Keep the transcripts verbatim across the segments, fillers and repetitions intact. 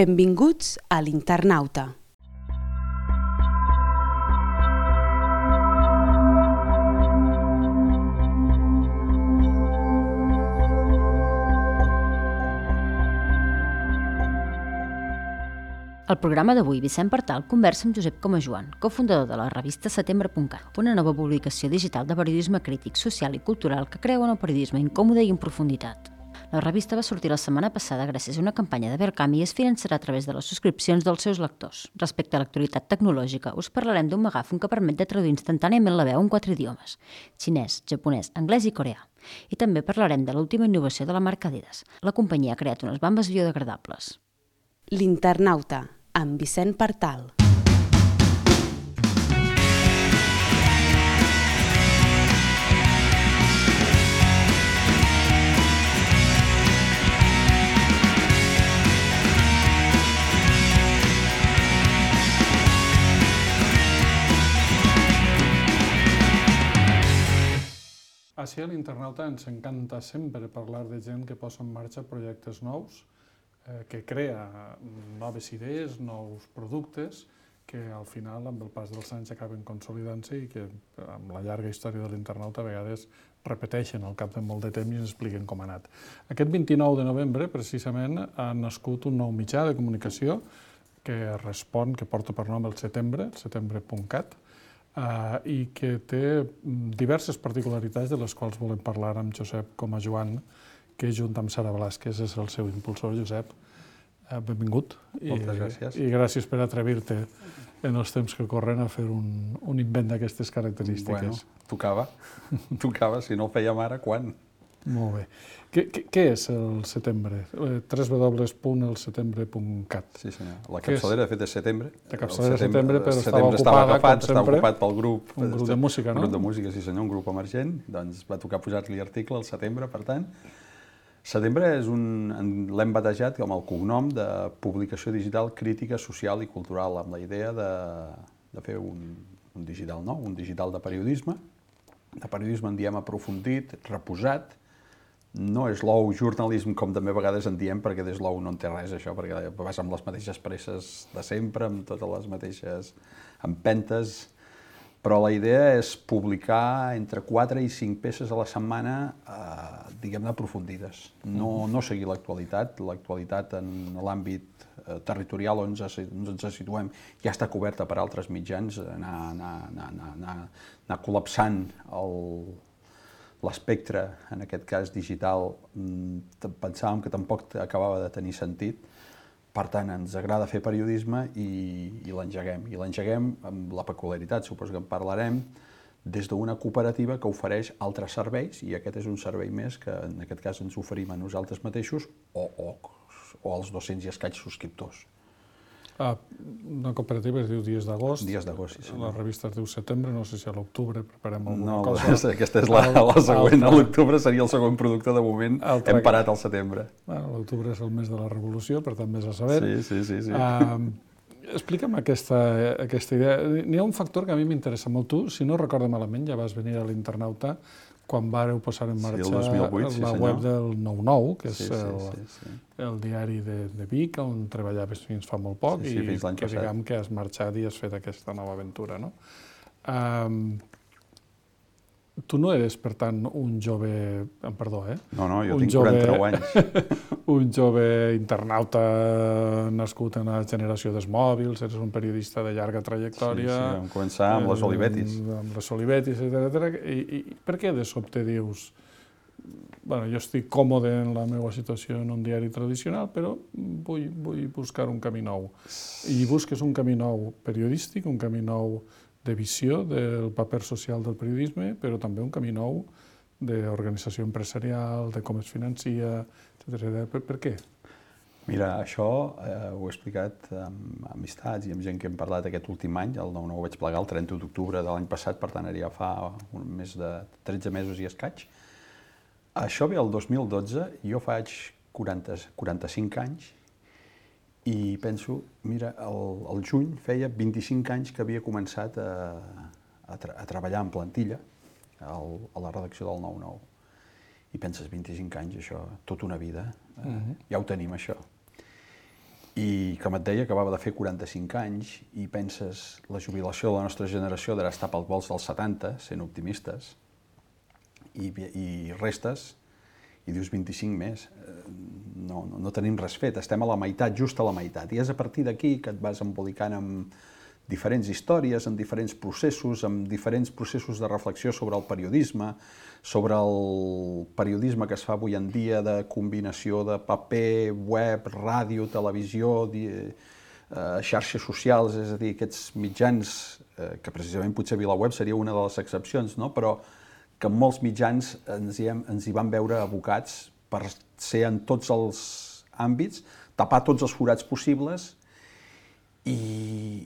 Benvinguts a l'Internauta. Al programa d'avui, Vicent Partal conversa amb Josep Comajoan, cofundador de la revista setembre punt cat, una nova publicació digital de periodisme crític, social i cultural que crea un periodisme incòmode i en profunditat. La revista va sortir la setmana passada gràcies a una campanya de Verkami i es finançarà a través de les subscripcions dels seus lectors. Respecte a l'actualitat tecnològica, us parlarem d'un megàfon que permet de traduir instantàniament la veu en quatre idiomes: xinès, japonès, anglès i coreà. I també parlarem de l'última innovació de la marca Adidas. La companyia ha creat unes bambes biodegradables. L'Internauta, amb Vicent Partal. Així a l'Internauta ens encanta sempre parlar de gent que posa en marxa projectes nous, que crea noves idees, nous productes, que al final, amb el pas dels anys, acaben consolidant-se i que, amb la llarga història de l'Internauta, a vegades repeteixen al cap de molt de temps i ens expliquen com ha anat. Aquest vint-i-nou de novembre, precisament, ha nascut un nou mitjà de comunicació que respon, que porta per nom el setembre, el setembre punt cat, i que té diverses particularitats de les quals volem parlar amb Josep Comajoan, que junt amb Sara Velázquez és el seu impulsor. Josep, benvingut. Moltes gràcies. I gràcies per atrevir-te en els temps que corren a fer un, un invent d'aquestes característiques. Bueno, tocava, tocava, si no el fèiem ara, quan? Molt bé. Què, què, què és el setembre? w w w punt el setembre punt cat. Sí, senyor. La capçalera, de fet, és setembre. La capçalera és setembre, però estava setembre ocupada, estava agafat, com sempre. Estava ocupat pel grup. Un grup de música, no? Un grup de música, sí senyor, un grup emergent. Doncs va tocar posar-li article al setembre, per tant. Setembre és un, l'hem batejat com el cognom de publicació digital crítica, social i cultural, amb la idea de, de fer un, un digital nou, un digital de periodisme. De periodisme en diem aprofundit, reposat. No és l'ou jornalisme, com també a vegades en diem, perquè des l'ou no en té res, això, perquè vas amb les mateixes presses de sempre, amb totes les mateixes empentes, però la idea és publicar entre quatre i cinc peces a la setmana, eh, diguem-ne, aprofundides. No, no seguir l'actualitat. L'actualitat en l'àmbit eh, territorial on ens, ens situem ja està coberta per altres mitjans, anar, anar, anar, anar, anar, anar col·lapsant el... l'espectre, en aquest cas digital, pensàvem que tampoc acabava de tenir sentit. Per tant, ens agrada fer periodisme i, i l'engeguem. I l'engeguem amb la peculiaritat, suposo que en parlarem, des d'una cooperativa que ofereix altres serveis, i aquest és un servei més que en aquest cas ens oferim a nosaltres mateixos o, o, o als dos-cents i escaig subscriptors. Ah, una cooperativa es diu Dies d'Agost. Dies d'Agost, sí, senyor. La revista es diu Setembre, no sé si a l'octubre preparem alguna no, cosa. No, aquesta és la, la següent. A l'octubre seria el segon producte, de moment hem parat al setembre. Bueno, l'octubre és el mes de la revolució, per tant, més a saber. Sí, sí, sí. sí. Uh, explica'm aquesta, aquesta idea. N'hi ha un factor que a mi m'interessa molt. Tu, si no recordo malament, ja vas venir a l'Internauta quan vàreu posar en marxa sí, el dos mil vuit, sí, la senyor. web del nou nou, que sí, és el, sí, sí, sí. el diari de, de Vic, on treballaves fins fa molt poc, sí, sí, i que passat. diguem que has marxat i has fet aquesta nova aventura, no? Um, tu no eres, per tant, un jove... Perdó, eh? No, no, jo un tinc jove, quaranta-nou anys. un jove internauta nascut en la generació dels mòbils, eres un periodista de llarga trajectòria. Sí, sí, vam començar amb les Olivetis. Eh, amb les Olivetis, etcètera. I, I per què de sobte dius... Bueno, jo estic còmode en la meva situació en un diari tradicional, però vull, vull buscar un camí nou. I busques un camí nou periodístic, un camí nou de visió del paper social del periodisme, però també un camí nou d'organització empresarial, de com es financia, etcètera. Per, per què? Mira, això eh, ho he explicat amb amistats i amb gent que hem parlat aquest últim any. El nou nou vaig plegar el trenta d'octubre de l'any passat, per tant, ara ja fa un més de tretze mesos i escaig. Això ve el dos mil dotze, jo faig quaranta, quaranta-cinc anys, i penso, mira, el, el juny feia vint-i-cinc anys que havia començat a, a, tra a treballar en plantilla al, a la redacció del nou nou. I penses, vint-i-cinc anys, això, tota una vida, eh, uh-huh. ja ho tenim, això. I, com et deia, acabava de fer quaranta-cinc anys i penses, la jubilació de la nostra generació darà estar pels volts dels setanta, sent optimistes, i, i restes, i dius vint-i-cinc més. No, no, no tenim res fet, estem a la meitat, just a la meitat. I és a partir d'aquí que et vas embolicant amb diferents històries, amb diferents processos, amb diferents processos de reflexió sobre el periodisme, sobre el periodisme que es fa avui en dia de combinació de paper, web, ràdio, televisió, eh, xarxes socials, és a dir, aquests mitjans, eh, que precisament potser VilaWeb seria una de les excepcions, no? Però que molts mitjans ens hi, hem, ens hi van veure abocats per ser en tots els àmbits, tapar tots els forats possibles i,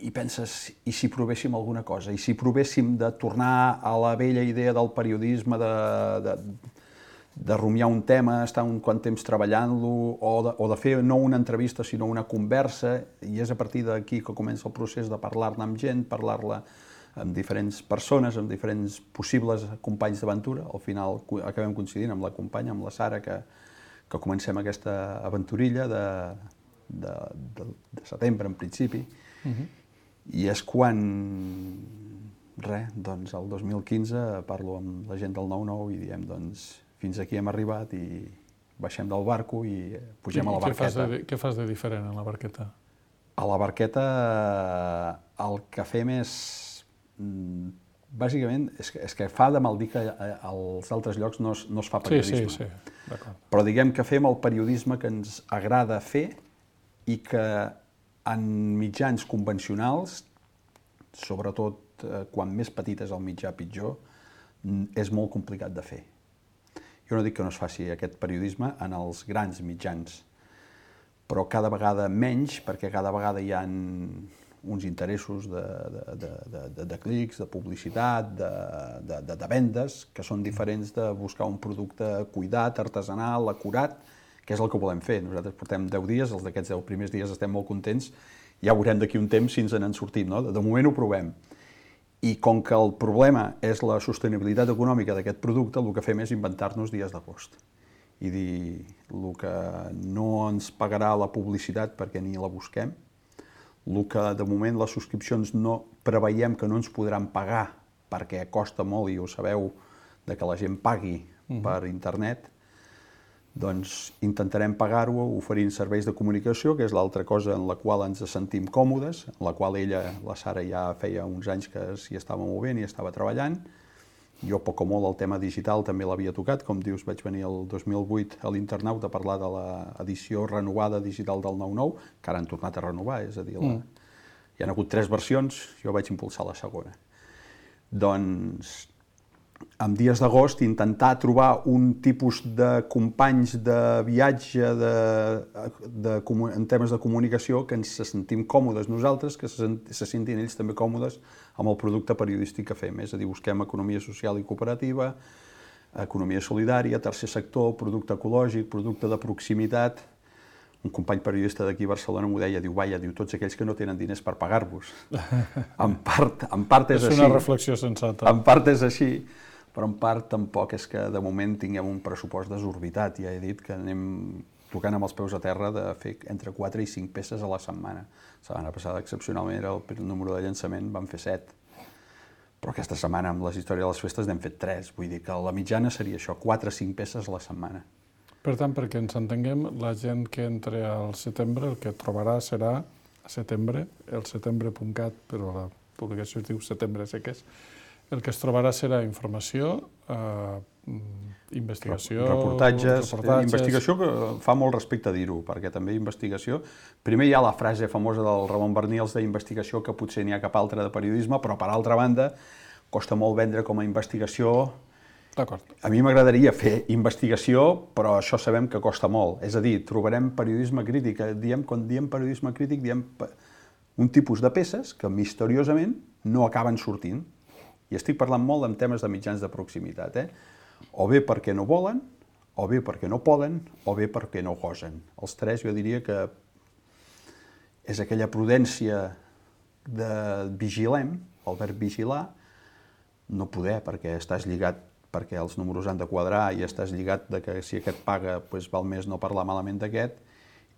i penses, i si provéssim alguna cosa? I si provéssim de tornar a la vella idea del periodisme, de, de, de rumiar un tema, estar un quant temps treballant-lo, o, de, o de fer no una entrevista sinó una conversa, i és a partir d'aquí que comença el procés de parlar-ne amb gent, parlar-la amb diferents persones, amb diferents possibles companys d'aventura. Al final acabem coincidint amb la companya, amb la Sara, que, que comencem aquesta aventurilla de, de, de, de setembre, en principi. Uh-huh. I és quan, res, doncs el dos mil quinze parlo amb la gent del nou nou i diem, doncs, fins aquí hem arribat i baixem del barco i pugem I, a la barqueta. Què fas, de, què fas de diferent a la barqueta? A la barqueta el que fem és... Bàsicament, és que, és que fa de mal dir que als altres llocs no es, no es fa periodisme. Sí, sí, sí, d'acord. Però diguem que fem el periodisme que ens agrada fer i que en mitjans convencionals, sobretot eh, quan més petit és el mitjà pitjor, és molt complicat de fer. Jo no dic que no es faci aquest periodisme en els grans mitjans, però cada vegada menys, perquè cada vegada hi ha uns interessos de, de, de, de, de clics, de publicitat, de, de, de, de vendes, que són diferents de buscar un producte cuidat, artesanal, acurat, que és el que volem fer. Nosaltres portem deu dies, els d'aquests deu primers dies estem molt contents, ja veurem d'aquí un temps si ens en sortim, no? De moment ho provem. I com que el problema és la sostenibilitat econòmica d'aquest producte, el que fem és inventar-nos dies d'agost. I dir, el que no ens pagarà la publicitat perquè ni la busquem, el que de moment les subscripcions no preveiem que no ens podran pagar perquè costa molt, i ho sabeu, de que la gent pagui uh-huh. per internet, doncs intentarem pagar-ho oferint serveis de comunicació, que és l'altra cosa en la qual ens sentim còmodes, en la qual ella, la Sara, ja feia uns anys que s'hi estava movent i estava treballant. Jo, poc o molt, el tema digital també l'havia tocat. Com dius, vaig venir el dos mil vuit a l'Internauta a parlar de l'edició renovada digital del nou nou, que ara han tornat a renovar, és a dir, la... mm. hi ha hagut tres versions, jo vaig impulsar la segona. Doncs, en dies d'agost, intentar trobar un tipus de companys de viatge de, de, en temes de comunicació que ens sentim còmodes nosaltres, que se, se sentin ells també còmodes amb el producte periodístic que fem. És a dir, busquem economia social i cooperativa, economia solidària, tercer sector, producte ecològic, producte de proximitat. Un company periodista d'aquí a Barcelona m'ho deia, diu, vaja, diu, tots aquells que no tenen diners per pagar-vos. En part, en part és, és així. És una reflexió sensata. En part és així, però en part tampoc és que de moment tinguem un pressupost desorbitat. Ja he dit que anem tocant amb els peus a terra de fer entre quatre i cinc peces a la setmana. La setmana passada, excepcionalment, era el número de llançament, vam fer set. Però aquesta setmana, amb les històries de les festes, n'hem fet tres. Vull dir que la mitjana seria això, quatre o cinc peces a la setmana. Per tant, perquè ens entenguem, la gent que entre al setembre, el que trobarà serà a setembre, el setembre punt cat, però la publicació es diu setembre seques, el que es trobarà serà informació, eh, investigació... Reportatges, reportatges... Investigació que fa molt respecte a dir-ho, perquè també investigació... Primer hi ha la frase famosa del Ramon Barnils d'investigació, que potser n'hi ha cap altra de periodisme, però per altra banda costa molt vendre com a investigació... D'acord. A mi m'agradaria fer investigació, però això sabem que costa molt. És a dir, trobarem periodisme crític. Diem, quan diem periodisme crític, diem un tipus de peces que misteriosament no acaben sortint. I estic parlant molt en temes de mitjans de proximitat, eh? O bé perquè no volen, o bé perquè no poden, o bé perquè no gosen. Els tres jo diria que és aquella prudència de vigilem, el verb vigilar, no poder perquè estàs lligat, perquè els números han de quadrar i estàs lligat de que si aquest paga doncs val més no parlar malament d'aquest,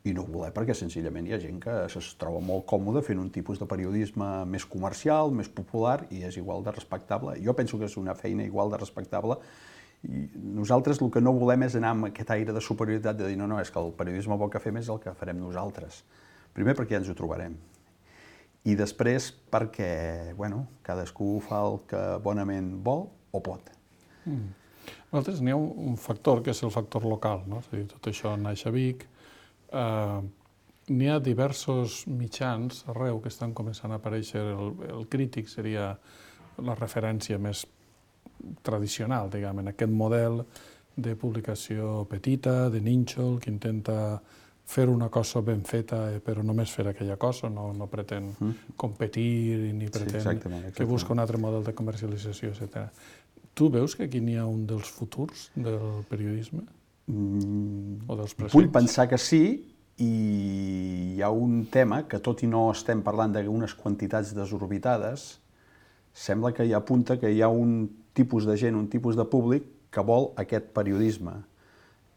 i no voler perquè senzillament hi ha gent que es troba molt còmode fent un tipus de periodisme més comercial, més popular, i és igual de respectable. Jo penso que és una feina igual de respectable, i nosaltres el que no volem és anar amb aquest aire de superioritat de dir no, no, és que el periodisme bo que fem és el que farem nosaltres. Primer perquè ja ens ho trobarem, i després perquè, bueno, cadascú fa el que bonament vol o pot. Mm. Nosaltres n'hi ha un factor que és el factor local, no? És a dir, tot això naix a Vic. Uh, n'hi ha diversos mitjans arreu que estan començant a aparèixer. El, el crític seria la referència més tradicional, diguem, en aquest model de publicació petita, de nínxol, que intenta fer una cosa ben feta, però només fer aquella cosa, no, no pretén mm. competir ni pretén sí, exactament, exactament. que busca un altre model de comercialització, etcètera. Tu veus que aquí n'hi ha un dels futurs del periodisme? Mm, o dels presents? Vull pensar que sí, i hi ha un tema que, tot i no estem parlant d'unes quantitats desorbitades, sembla que hi apunta que hi ha un tipus de gent, un tipus de públic que vol aquest periodisme.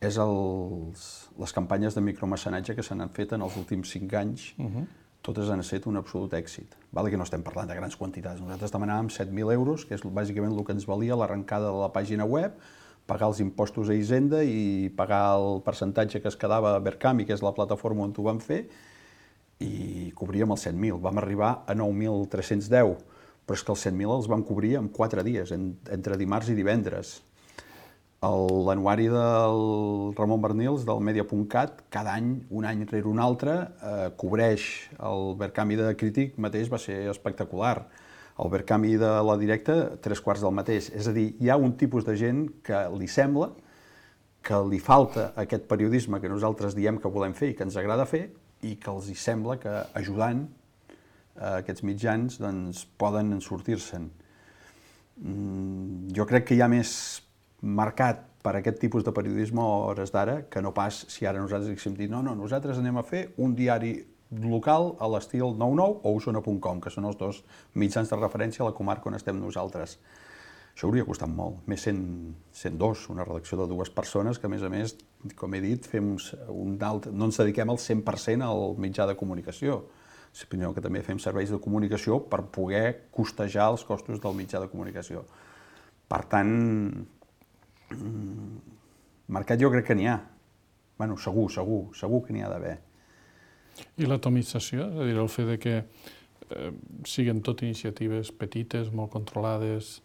És els, les campanyes de micromecenatge que s'han fet en els últims cinc anys, uh-huh. totes han estat un absolut èxit. Vale que no estem parlant de grans quantitats. Nosaltres demanàvem set mil euros, que és bàsicament el que ens valia l'arrencada de la pàgina web, pagar els impostos a Hisenda i pagar el percentatge que es quedava a Verkami, que és la plataforma on ho vam fer, i cobríem els set mil. Vam arribar a nou mil tres-cents deu, però és que els set mil els vam cobrir en quatre dies, entre dimarts i divendres. L'anuari del Ramon Bernils, del Media punt cat, cada any, un any rere un altre, eh, cobreix el Verkami de Crític mateix, va ser espectacular. El Verkami de la Directa, tres quarts del mateix. És a dir, hi ha un tipus de gent que li sembla que li falta aquest periodisme que nosaltres diem que volem fer i que ens agrada fer, i que els hi sembla que ajudant a aquests mitjans doncs, poden sortir-se'n. Jo crec que hi ha més mercat per aquest tipus de periodisme a hores d'ara que no pas si ara nosaltres haguéssim dit no, no, nosaltres anem a fer un diari local a l'estil nou nou o Osona punt com, que són els dos mitjans de referència a la comarca on estem nosaltres. Això hauria costat molt, més sent, sent dos, una redacció de dues persones que, a més a més, com he dit, fem un alt, no ens dediquem al cent per cent al mitjà de comunicació, sinó que també fem serveis de comunicació per poder costejar els costos del mitjà de comunicació. Per tant, mercat jo crec que n'hi ha. Bueno, segur, segur, segur que n'hi ha d'haver. I l'atomització, és a dir, el fet de que eh, siguin tot iniciatives petites, molt controlades,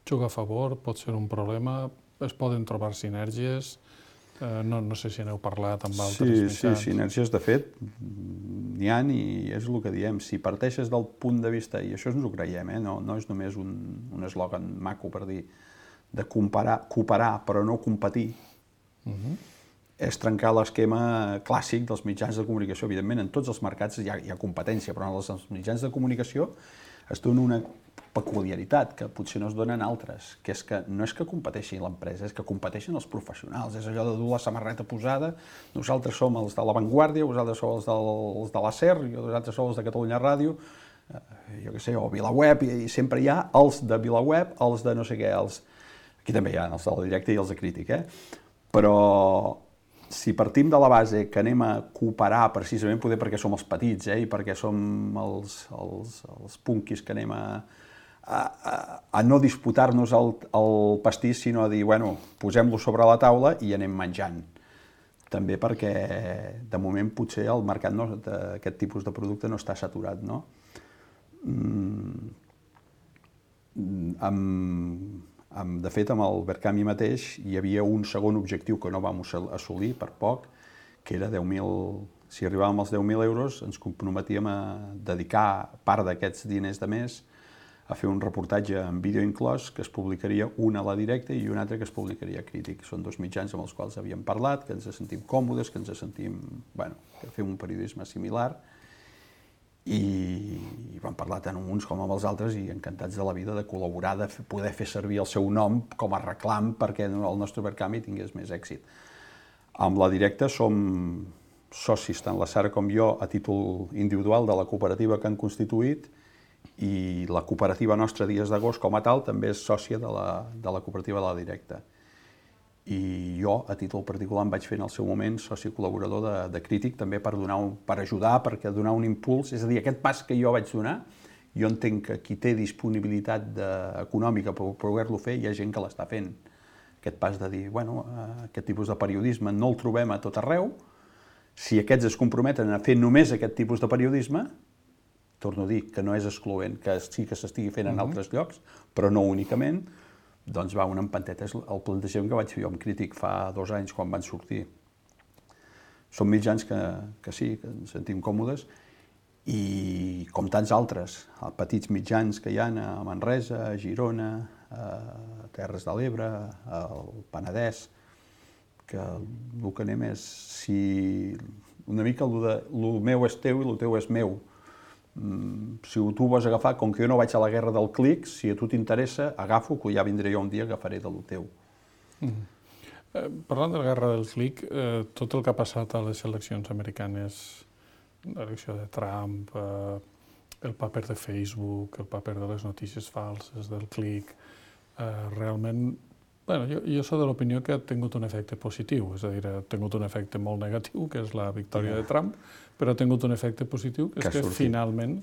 juga a favor, pot ser un problema, es poden trobar sinergies, eh, no, no sé si n'heu parlat amb altres sí, mitjans. Sí, sinergies, de fet, n'hi ha i és el que diem, si parteixes del punt de vista, i això ens ho creiem, eh? no, no és només un, un eslògan maco per dir, de comparar, cooperar però no competir, uh-huh. és trencar l'esquema clàssic dels mitjans de comunicació. Evidentment, en tots els mercats hi ha, hi ha competència, però en els mitjans de comunicació es dona una peculiaritat que potser no es dona en altres, que és que no és que competeixi l'empresa, és que competeixen els professionals. És allò de dur la samarreta posada, nosaltres som els de La Vanguardia, vosaltres sou els, del, els de la SER, vosaltres sou els de Catalunya Ràdio, eh, jo què sé, o VilaWeb, i, i sempre hi ha els de VilaWeb, els de no sé què, els... Aquí també hi ha els del Directe i els de Crític, eh? Però si partim de la base que anem a cooperar precisament poder perquè som els petits, eh? I perquè som els, els, els punquis que anem a, a, a, a no disputar-nos el, el pastís, sinó a dir, bueno, posem-lo sobre la taula i anem menjant. També perquè, de moment, potser el mercat no, d'aquest tipus de producte no està saturat, no? Mm, amb... De fet, amb el Verkami mateix hi havia un segon objectiu que no vam assolir per poc, que era deu mil... Si arribàvem als deu mil euros, ens comprometíem a dedicar part d'aquests diners de mes a fer un reportatge amb vídeo inclòs que es publicaria un a la Directa i un altre que es publicaria a Crític. Són dos mitjans amb els quals havíem parlat, que ens sentim còmodes, que ens sentim... Bueno, que fem un periodisme similar, i vam parlar tant amb uns com amb els altres i encantats de la vida de col·laborar, de poder fer servir el seu nom com a reclam perquè el nostre Verkami tingués més èxit. Amb la Directa som socis, tant la Sara com jo, a títol individual de la cooperativa que han constituït, i la cooperativa nostra Dies d'Agost com a tal també és sòcia de la, de la cooperativa de la Directa. i jo, a títol particular, em vaig fer en el seu moment soci col·laborador de, de Crític, també per, donar un, per ajudar, perquè donar un impuls, és a dir, aquest pas que jo vaig donar, jo entenc que qui té disponibilitat de, econòmica per poder-lo fer, hi ha gent que l'està fent. Aquest pas de dir, bueno, aquest tipus de periodisme no el trobem a tot arreu, si aquests es comprometen a fer només aquest tipus de periodisme, torno a dir que no és excloent, que sí que s'estigui fent en altres llocs, però no únicament, doncs va, una empanteta és el plantejament que vaig fer jo amb Crític fa dos anys quan van sortir. Són mitjans que, que sí, que ens sentim còmodes, i com tants altres, petits mitjans que hi ha a Manresa, a Girona, a Terres de l'Ebre, al Penedès, que el que anem és, si una mica el de el meu és teu i el teu és meu. Si tu ho vols agafar, com que jo no vaig a la guerra del clic, si a tu t'interessa, agafo, que ja vindré jo un dia, agafaré de lo teu. Mm. Eh, parlant de la guerra del clic, eh, tot el que ha passat a les eleccions americanes, l'elecció de Trump, eh, el paper de Facebook, el paper de les notícies falses, del clic, eh, realment, bueno, jo, jo soc de l'opinió que ha tingut un efecte positiu, és a dir, ha tingut un efecte molt negatiu, que és la victòria de Trump, però ha tingut un efecte positiu, que és que finalment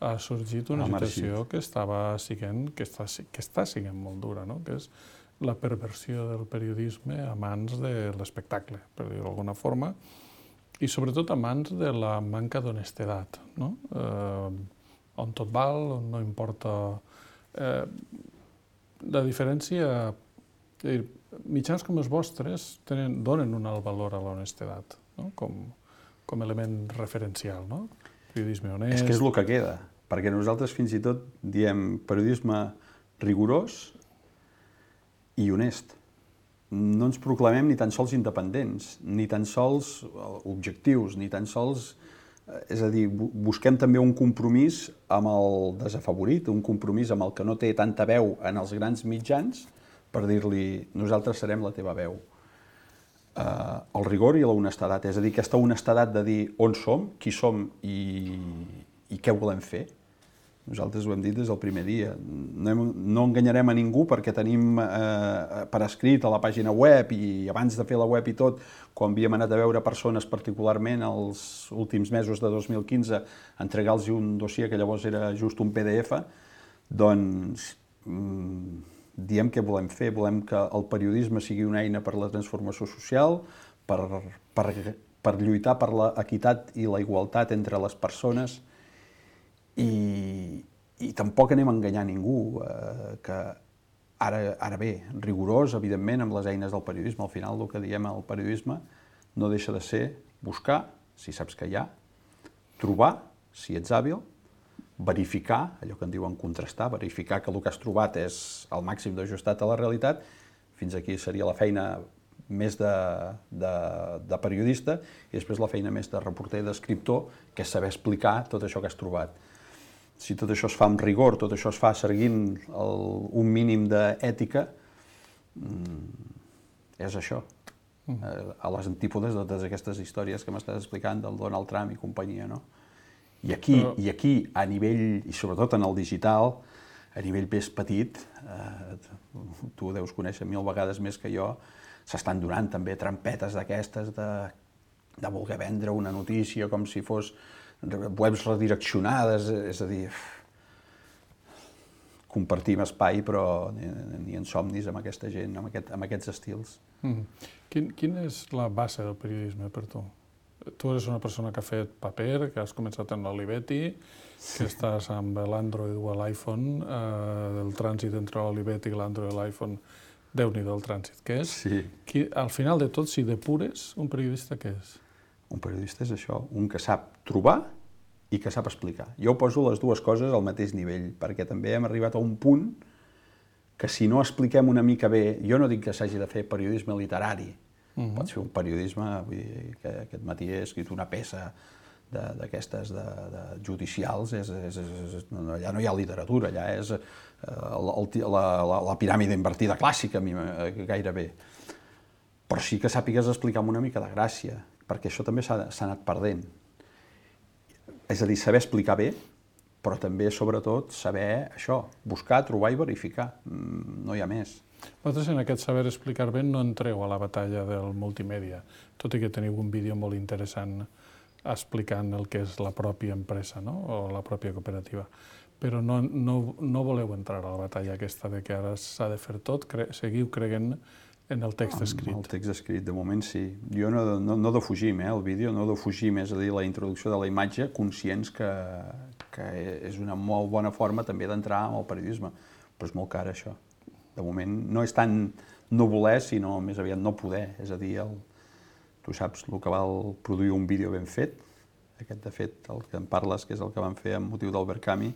ha sorgit una situació que estava siguent, que està, que està siguent molt dura, no? Que és la perversió del periodisme a mans de l'espectacle, per dir-ho d'alguna forma, i sobretot a mans de la manca d'honestedat, no? Eh, on tot val, on no importa... Eh, la diferència... Dir, mitjans com els vostres tenen, donen un alt valor a l'honestedat, no? com, com element referencial, no? Periodisme honest... És que és el que queda, perquè nosaltres fins i tot diem periodisme rigorós i honest. No ens proclamem ni tan sols independents, ni tan sols objectius, ni tan sols... És a dir, busquem també un compromís amb el desafavorit, un compromís amb el que no té tanta veu en els grans mitjans, per dir-li, nosaltres serem la teva veu. Uh, el rigor i la honestedat, és a dir, aquesta honestedat de dir on som, qui som i, i què volem fer. Nosaltres ho hem dit des del primer dia. No, hem, no enganyarem a ningú perquè tenim eh, per escrit a la pàgina web i abans de fer la web i tot, quan havíem anat a veure persones particularment els últims mesos de dos mil quinze, entregar-los un dossier que llavors era just un P D F, doncs... Mm, diem què volem fer, volem que el periodisme sigui una eina per a la transformació social, per, per, per lluitar per l'equitat i la igualtat entre les persones i, i tampoc anem a enganyar ningú, eh, que ara, ara bé, rigorós, evidentment, amb les eines del periodisme. Al final el que diem al periodisme no deixa de ser buscar, si saps que hi ha, trobar, si ets hàbil, verificar, allò que en diuen contrastar, verificar que el que has trobat és el màxim d'ajustat a la realitat, fins aquí seria la feina més de, de, de periodista, i després la feina més de reporter i d'escriptor, que és saber explicar tot això que has trobat. Si tot això es fa amb rigor, tot això es fa seguint el, un mínim d'ètica, és això, a les antípodes de totes aquestes històries que m'estàs explicant del Donald Trump i companyia, no? I aquí, Però... i aquí, a nivell, i sobretot en el digital, a nivell més petit, eh, tu ho deus conèixer mil vegades més que jo, s'estan donant també trampetes d'aquestes de, de voler vendre una notícia com si fos webs redireccionades, és a dir, compartim espai però ni, ni en somnis amb aquesta gent, amb, aquest, amb aquests estils. Mm. Quin, quina és la base del periodisme per tu? Tu eres una persona que ha fet paper, que has començat en l'Olivetti, que estàs amb l'Android o l'iPhone, eh, el trànsit entre l'Olivetti i l'Android i l'iPhone, Déu-n'hi-do el trànsit que és. Sí. Qui, al final de tot, si depures, un periodista què és? Un periodista és això, un que sap trobar i que sap explicar. Jo poso les dues coses al mateix nivell, perquè també hem arribat a un punt que si no expliquem una mica bé, jo no dic que s'hagi de fer periodisme literari, Uh-huh. Pots fer un periodisme, vull dir, que aquest matí he escrit una peça d'aquestes de, de, de judicials, és, és, és, no, allà no hi ha literatura, allà és eh, el, el, la, la, la piràmide invertida clàssica, gairebé. Però sí que sàpigues explicar amb una mica de gràcia, perquè això també s'ha anat perdent. És a dir, saber explicar bé, però també, sobretot, saber això, buscar, trobar i verificar. No hi ha més. Vosaltres en aquest saber explicar bé no entreu a la batalla del multimèdia, tot i que teniu un vídeo molt interessant explicant el que és la pròpia empresa, no? O la pròpia cooperativa. Però no, no, no voleu entrar a la batalla aquesta de que ara s'ha de fer tot, cre seguiu creient en el text escrit. El text escrit, de moment sí. Jo no, no, no defugim, eh, el vídeo, no defugim, és a dir, la introducció de la imatge, conscients que, que és una molt bona forma també d'entrar en el periodisme, però és molt car això. De moment no és tant no voler, sinó més aviat no poder, és a dir, el, tu saps el que val produir un vídeo ben fet, aquest de fet, el que em parles, que és el que vam fer amb motiu del Verkami,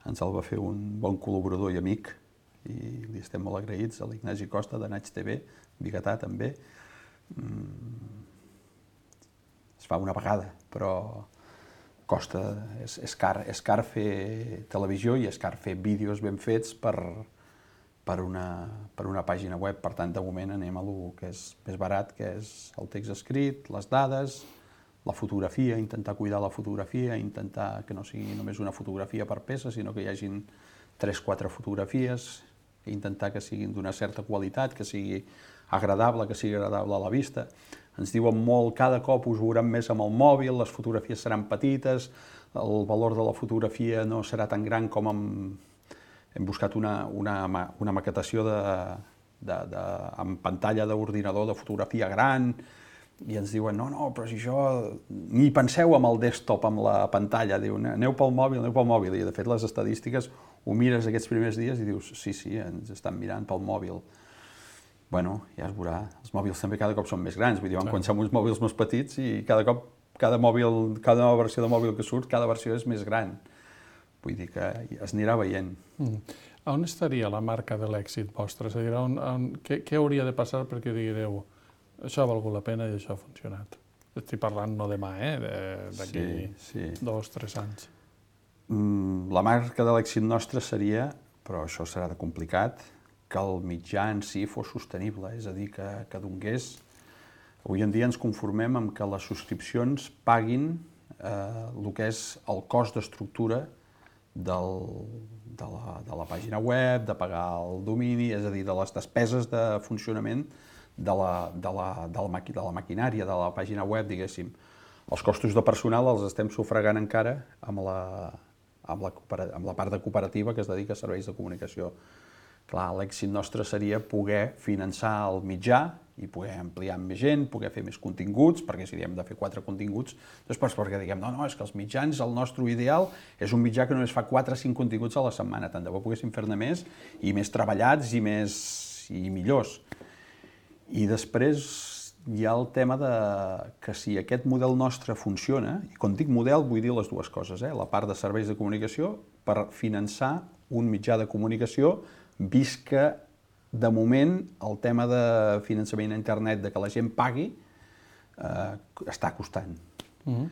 ens el va fer un bon col·laborador i amic, i li estem molt agraïts, a l'Ignasi Costa, de Naig T V, biguetà també. Mm. Es fa una vegada, però costa, és, és, car, és car fer televisió i és car fer vídeos ben fets per, per, una, per una pàgina web. Per tant, de moment anem a lo que és més barat, que és el text escrit, les dades, la fotografia, intentar cuidar la fotografia, intentar que no sigui només una fotografia per peça, sinó que hi hagin tres o quatre fotografies, intentar que siguin d'una certa qualitat, que sigui agradable, que sigui agradable a la vista. Ens diuen molt, cada cop us veurem més amb el mòbil, les fotografies seran petites, el valor de la fotografia no serà tan gran com amb... Hem buscat una, una, una maquetació de, de, de, amb pantalla d'ordinador de fotografia gran, i ens diuen, no, no, però si això... Ni penseu amb el desktop, amb la pantalla, diu, aneu pel mòbil, aneu pel mòbil, i de fet les estadístiques ho mires aquests primers dies i dius, sí, sí, ens estan mirant pel mòbil. Bueno, ja es veurà, els mòbils també cada cop són més grans, vull dir, van començar amb uns mòbils més petits i cada cop, cada mòbil, cada nova versió de mòbil que surt, cada versió és més gran. Vull dir que es anirà veient. Mm. On estaria la marca de l'èxit vostre? És a dir, on, on, què, què hauria de passar perquè direu això ha valgut la pena i això ha funcionat? Estic parlant no demà, eh? D'aquí sí, sí. dos, tres anys. Mm, la marca de l'èxit nostre seria, però això serà de complicat, que el mitjà en si fos sostenible, és a dir, que, que donés... Avui en dia ens conformem amb que les subscripcions paguin eh, el que és el cost d'estructura del, de, la, de la pàgina web, de pagar el domini, és a dir, de les despeses de funcionament de la, de la, de la, maqui, de la maquinària, de la pàgina web, diguéssim. Els costos de personal els estem sufragant encara amb la, amb la, amb la part de cooperativa que es dedica a serveis de comunicació. Clar, l'èxit nostre seria poder finançar el mitjà i poder ampliar amb més gent, poder fer més continguts, perquè si hem de fer quatre continguts, després perquè diguem, no, no, és que els mitjans, el nostre ideal és un mitjà que només fa quatre o cinc continguts a la setmana, tant de bo poguéssim fer-ne més i més treballats i més i millors. I després hi ha el tema de que si aquest model nostre funciona, i quan dic model vull dir les dues coses, eh? La part de serveis de comunicació per finançar un mitjà de comunicació, vist que de moment el tema de finançament a internet, de que la gent pagui, eh, està costant. Mm-hmm.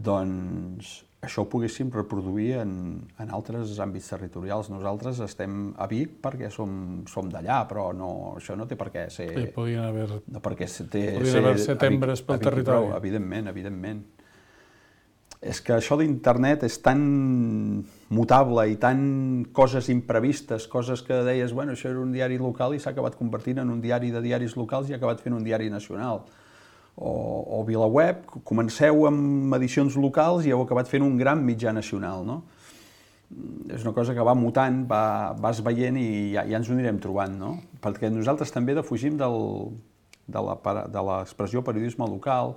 Doncs això ho poguéssim reproduir en, en altres àmbits territorials. Nosaltres estem a Vic perquè som, som d'allà, però no, això no té per què ser... Sí, podrien haver, no perquè té, podrien ser, haver setembres pel territori. Prou, evidentment, evidentment. És que això d'internet és tan mutable i tan coses imprevistes, coses que deies, bueno, això era un diari local i s'ha acabat convertint en un diari de diaris locals i ha acabat fent un diari nacional. O, o VilaWeb, comenceu amb edicions locals i heu acabat fent un gran mitjà nacional, no? És una cosa que va mutant, va, vas veient i ja, ja ens ho anirem trobant, no? Perquè nosaltres també defugim del, de l'expressió periodisme local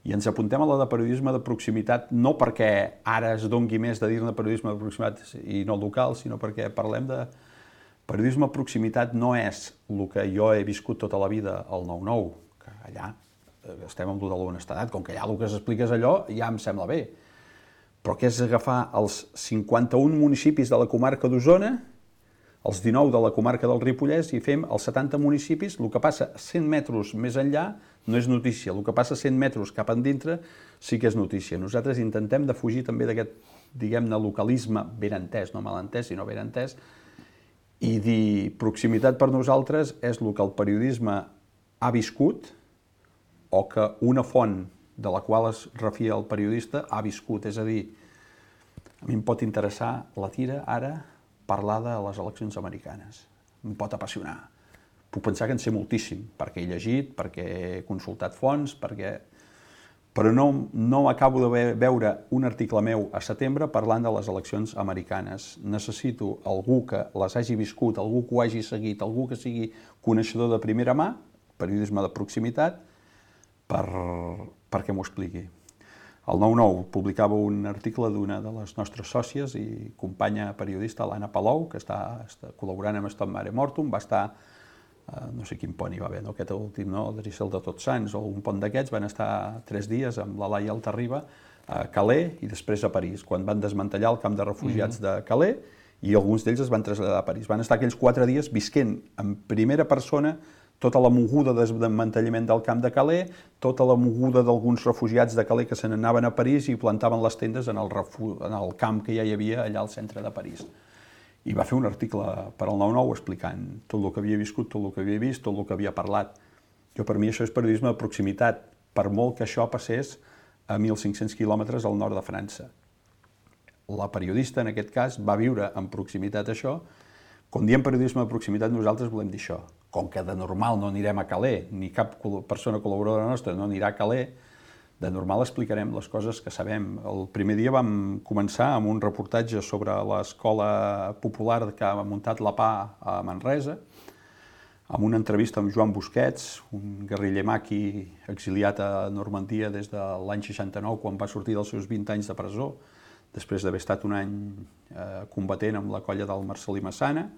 i ens apuntem a la de periodisme de proximitat, no perquè ara es dongui més de dir-ne periodisme de proximitat i no local, sinó perquè parlem de periodisme de proximitat no és el que jo he viscut tota la vida al nou nou, que allà estem amb el de l'honestedat, com que allà el que s'explica és allò, ja em sembla bé. Però que és agafar els cinquanta-un municipis de la comarca d'Osona, els dinou de la comarca del Ripollès, i fem els setanta municipis, el que passa cent metres més enllà no és notícia, el que passa cent metres cap endintre sí que és notícia. Nosaltres intentem defugir també d'aquest, diguem-ne, localisme ben entès, no mal entès, sinó ben entès, i dir proximitat per nosaltres és el que el periodisme ha viscut o que una font de la qual es refia el periodista ha viscut. És a dir, a mi em pot interessar la tira ara parlar de les eleccions americanes. Em pot apassionar. puc pensar que en sé moltíssim, perquè he llegit, perquè he consultat fonts, perquè... però no, no acabo de veure un article meu a setembre parlant de les eleccions americanes. Necessito algú que les hagi viscut, algú que ho hagi seguit, algú que sigui coneixedor de primera mà, periodisme de proximitat, per, perquè m'ho expliqui. El nou nou publicava un article d'una de les nostres sòcies i companya periodista, l'Anna Palou, que està, està col·laborant amb Stop Mare Mortum, va estar, eh, no sé quin pont hi va haver, no? Aquest últim, no? Drissel de Tots Sants o un pont d'aquests, van estar tres dies amb la Laia Altarriba a Calais i després a París, quan van desmantellar el camp de refugiats de Calais i alguns d'ells es van traslladar a París. Van estar aquells quatre dies visquent en primera persona tota la moguda de desmantellament del camp de Calais, tota la moguda d'alguns refugiats de Calais que se n'anaven a París i plantaven les tendes en el, en el camp que ja hi havia allà al centre de París. I va fer un article per al nou nou explicant tot el que havia viscut, tot el que havia vist, tot el que havia parlat. Jo, per mi això és periodisme de proximitat, per molt que això passés a mil cinc-cents quilòmetres al nord de França. La periodista, en aquest cas, va viure en proximitat això. Quan diem periodisme de proximitat, nosaltres volem dir això. Com que de normal no anirem a Calais, ni cap persona col·laboradora nostra no anirà a Calais, de normal explicarem les coses que sabem. El primer dia vam començar amb un reportatge sobre l'escola popular que ha muntat la P A a Manresa, amb una entrevista amb Joan Busquets, un guerriller maqui exiliat a Normandia des de l'any seixanta-nou, quan va sortir dels seus vint anys de presó, després d'haver estat un any eh, combatent amb la colla del Marcelí Massana,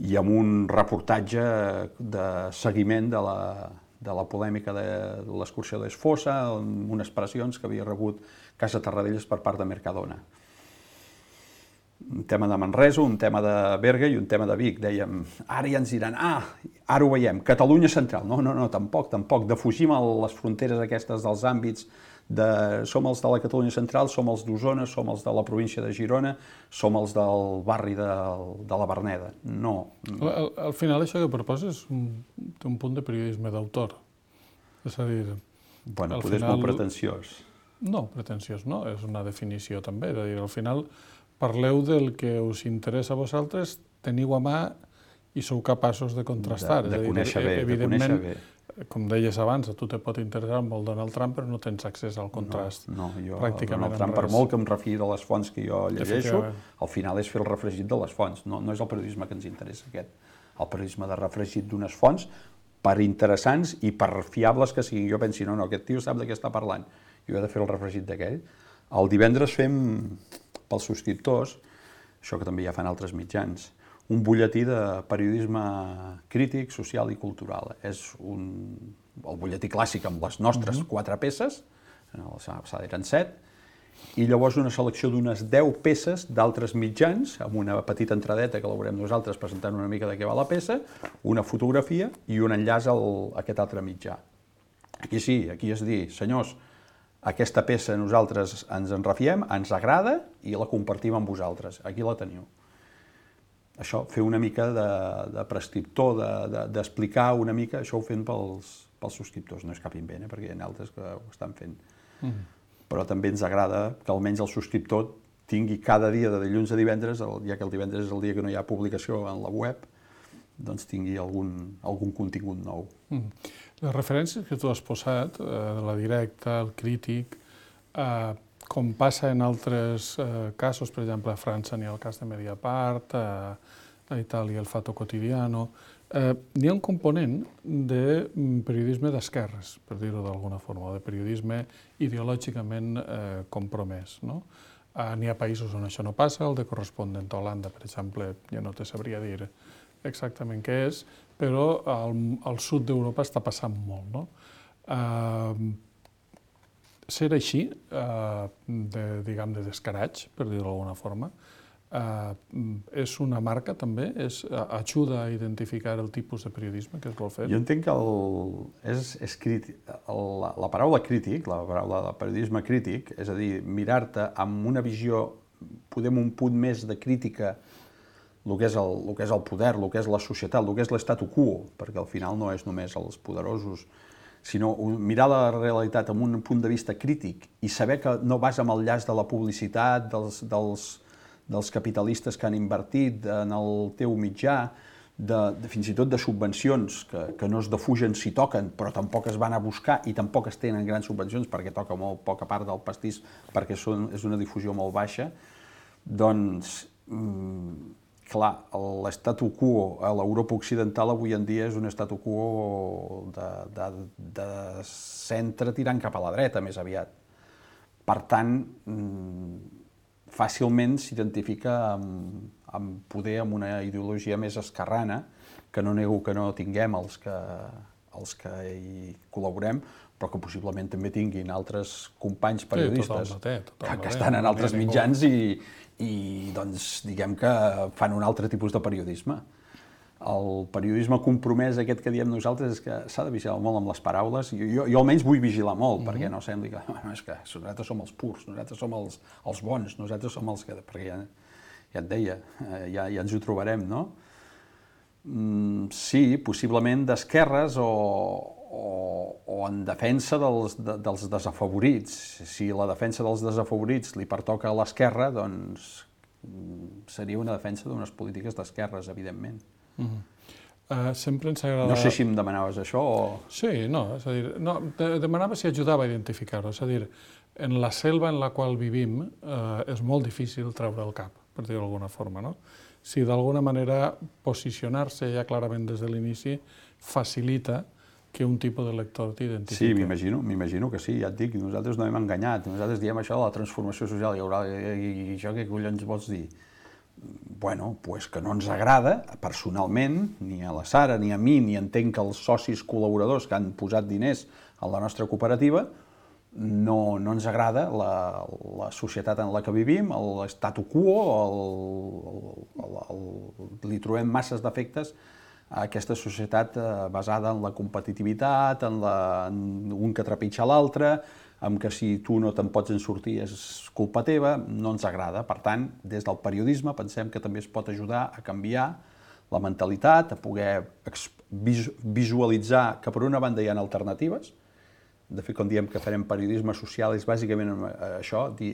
i amb un reportatge de seguiment de la, de la polèmica de l'excursió d'Esfosa, amb unes pressions que havia rebut Casa Tarradellas per part de Mercadona. Un tema de Manresa, un tema de Berga i un tema de Vic. Dèiem, ara ja ens diran, ah, ara ho veiem, Catalunya central. No, no, no, tampoc, tampoc. Defugim les fronteres aquestes dels àmbits de som els de la Catalunya central, som els d'Osona, som els de la província de Girona, som els del barri de, de la Verneda. No. Al, al final això que proposes un, té un punt de periodisme d'autor. És a dir... Bueno, poder és molt pretensiós. No, pretensiós no, és una definició també. És a dir, al final parleu del que us interessa a vosaltres, teniu a mà i sou capaços de contrastar. De, de conèixer bé, de conèixer bé. Com deies abans, a tu te pot interessar molt Donald Trump, però no tens accés al contrast. No, no, jo pràcticament Donald Trump, per molt que em refiï de les fonts que jo llegeixo, al final és fer el refregit de les fonts. No, no és el periodisme que ens interessa aquest. El periodisme de refregit d'unes fonts, per interessants i per fiables que siguin. Jo pensi, no, no, aquest tio sap de què està parlant. Jo he de fer el refregit d'aquell. El divendres fem, pels subscriptors, això que també ja fan altres mitjans, un butlletí de periodisme crític, social i cultural. És un, el butlletí clàssic amb les nostres quatre peces, la setmana passada eren set, i llavors una selecció d'unes deu peces d'altres mitjans, amb una petita entradeta que la veurem nosaltres presentant una mica de què va la peça, una fotografia i un enllaç a aquest altre mitjà. Aquí sí, aquí és dir, senyors, aquesta peça nosaltres ens en refiem, ens agrada i la compartim amb vosaltres. Aquí la teniu. Això, fer una mica de, de prescriptor, d'explicar de, de, una mica, això ho fem pels, pels subscriptors, no és cap invent, eh, perquè hi ha altres que ho estan fent. Mm. Però també ens agrada que almenys el subscriptor tingui cada dia de dilluns a divendres, el, ja que el divendres és el dia que no hi ha publicació en la web, doncs tingui algun, algun contingut nou. Mm. Les referències que tu has posat, eh, de la directa, el crític, eh, com passa en altres eh, casos, per exemple, a França n'hi ha el cas de Mediapart, a Itàlia el Fatto Quotidiano, eh, n'hi ha un component de periodisme d'esquerres, per dir-ho d'alguna forma, de periodisme ideològicament eh, compromès. No? Eh, n'hi ha països on això no passa, el de Correspondent a Holanda, per exemple, ja no te sabria dir exactament què és, però al, al sud d'Europa està passant molt. No? Eh, Ser així, eh, de, diguem, de descaratge, per dir-ho d'alguna forma, eh, és una marca també? És, ajuda a identificar el tipus de periodisme que es vol fer? Jo entenc que el, és, és crític, el, la paraula crític, la paraula de periodisme crític, és a dir, mirar-te amb una visió, podem un punt més de crítica, el que és el, el que és el poder, el que és la societat, el que és l'statu quo, perquè al final no és només els poderosos, sinó mirar la realitat amb un punt de vista crític i saber que no vas amb el llaç de la publicitat, dels, dels, dels capitalistes que han invertit en el teu mitjà, de, de fins i tot de subvencions que, que no es defugen si toquen, però tampoc es van a buscar i tampoc es tenen grans subvencions perquè toca molt poca part del pastís perquè són, és una difusió molt baixa, doncs, mm, clar, l'estatu quo a l'Europa occidental avui en dia és un estatu quo de, de, de centre tirant cap a la dreta, més aviat. Per tant, fàcilment s'identifica amb, amb poder amb una ideologia més esquerrana, que no nego que no tinguem els que, els que hi col·laborem, però que possiblement també tinguin altres companys periodistes sí, total, total, total, que, que estan en altres mitjans i, i doncs, diguem que fan un altre tipus de periodisme. El periodisme compromès aquest que diem nosaltres és que s'ha de vigilar molt amb les paraules. Jo, jo, jo almenys vull vigilar molt, mm-hmm. perquè no sembli que, bueno, és que nosaltres som els purs, nosaltres som els, els bons, nosaltres som els que... Perquè ja, ja et deia, ja, ja ens ho trobarem, no? Mm, sí, possiblement d'esquerres o, o, o en defensa dels, de, dels desafavorits. Si la defensa dels desafavorits li pertoca a l'esquerra, doncs seria una defensa d'unes polítiques d'esquerres, evidentment. Uh-huh. uh, sempre ens agrada... No sé si em demanaves això o... Sí, no, és a dir, no, de, demanava si ajudava a identificar-ho, és a dir, en la selva en la qual vivim eh, és molt difícil treure el cap, per dir-ho d'alguna forma, no? Si d'alguna manera posicionar-se ja clarament des de l'inici facilita que un tipus de lector t'identifiqui. Sí, m'imagino, m'imagino que sí, ja et dic, nosaltres no hem enganyat, nosaltres diem això de la transformació social, hi haurà, i, i això què collons vols dir? Bueno, pues que no ens agrada, personalment, ni a la Sara, ni a mi, ni entenc que els socis col·laboradors que han posat diners a la nostra cooperativa, no, no ens agrada la, la societat en la que vivim, l'statu quo, el, el, el, el, li trobem masses defectes a aquesta societat basada en la competitivitat, en, la, en un que trepitja l'altre, amb que si tu no te'n pots en sortir és culpa teva, no ens agrada. Per tant, des del periodisme pensem que també es pot ajudar a canviar la mentalitat, a poder visualitzar que per una banda hi ha alternatives. De fet, quan diem que farem periodisme social és bàsicament això, dir,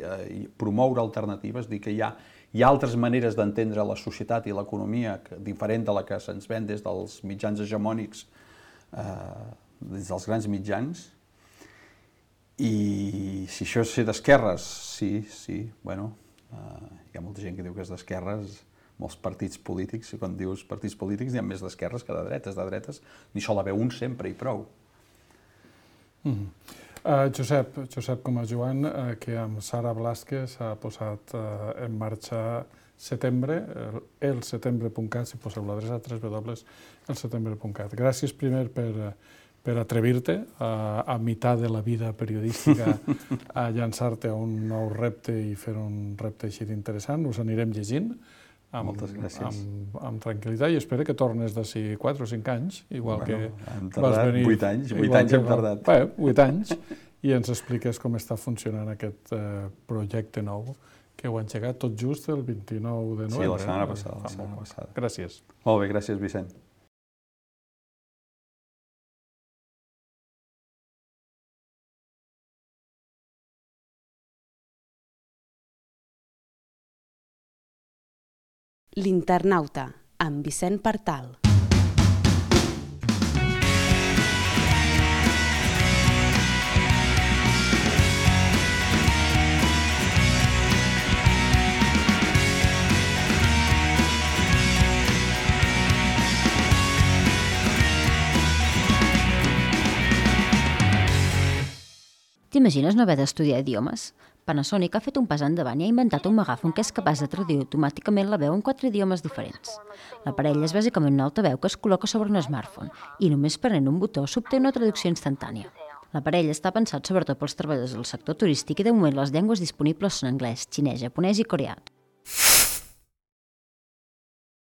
promoure alternatives, dir que hi ha, hi ha altres maneres d'entendre la societat i l'economia diferent de la que se'ns ven des dels mitjans hegemònics, eh, des dels grans mitjans. I si això és ser d'esquerres, sí, sí, bueno, eh, hi ha molta gent que diu que és d'esquerres, molts partits polítics, i quan dius partits polítics hi ha més d'esquerres que de dretes, de dretes n'hi sol haver un sempre i prou. Mm. Uh, Josep, Josep com a Joan, uh, que amb Sara Blázquez s'ha posat uh, en marxa setembre, el setembre punt cat, si poseu l'adreça w w w punt el setembre punt cat. Gràcies primer per... per atrevir-te a, a meitat de la vida periodística a llançar-te a un nou repte i fer un repte així d'interessant. Us anirem llegint amb, amb, amb tranquil·litat i espero que tornes d'ací quatre o cinc anys, igual bueno, que hem tardat vas venir... vuit anys, vuit anys hem tardat. Bé, vuit anys, i ens expliques com està funcionant aquest uh, projecte nou que heu engegat tot just el vint-i-nou de novembre. Sí, la setmana passada. La setmana passada. Gràcies. Molt bé, gràcies, Vicent. L'Internauta, amb Vicent Partal. T'imagines no haver d'estudiar idiomes? Panasonic ha fet un pas endavant i ha inventat un megàfon que és capaç de traduir automàticament la veu en quatre idiomes diferents. L'aparell és bàsicament un altaveu que es col·loca sobre un smartphone i només prenent un botó s'obté una traducció instantània. L'aparell està pensat sobretot pels treballadors del sector turístic i de moment les llengües disponibles són anglès, xinès, japonès i coreà.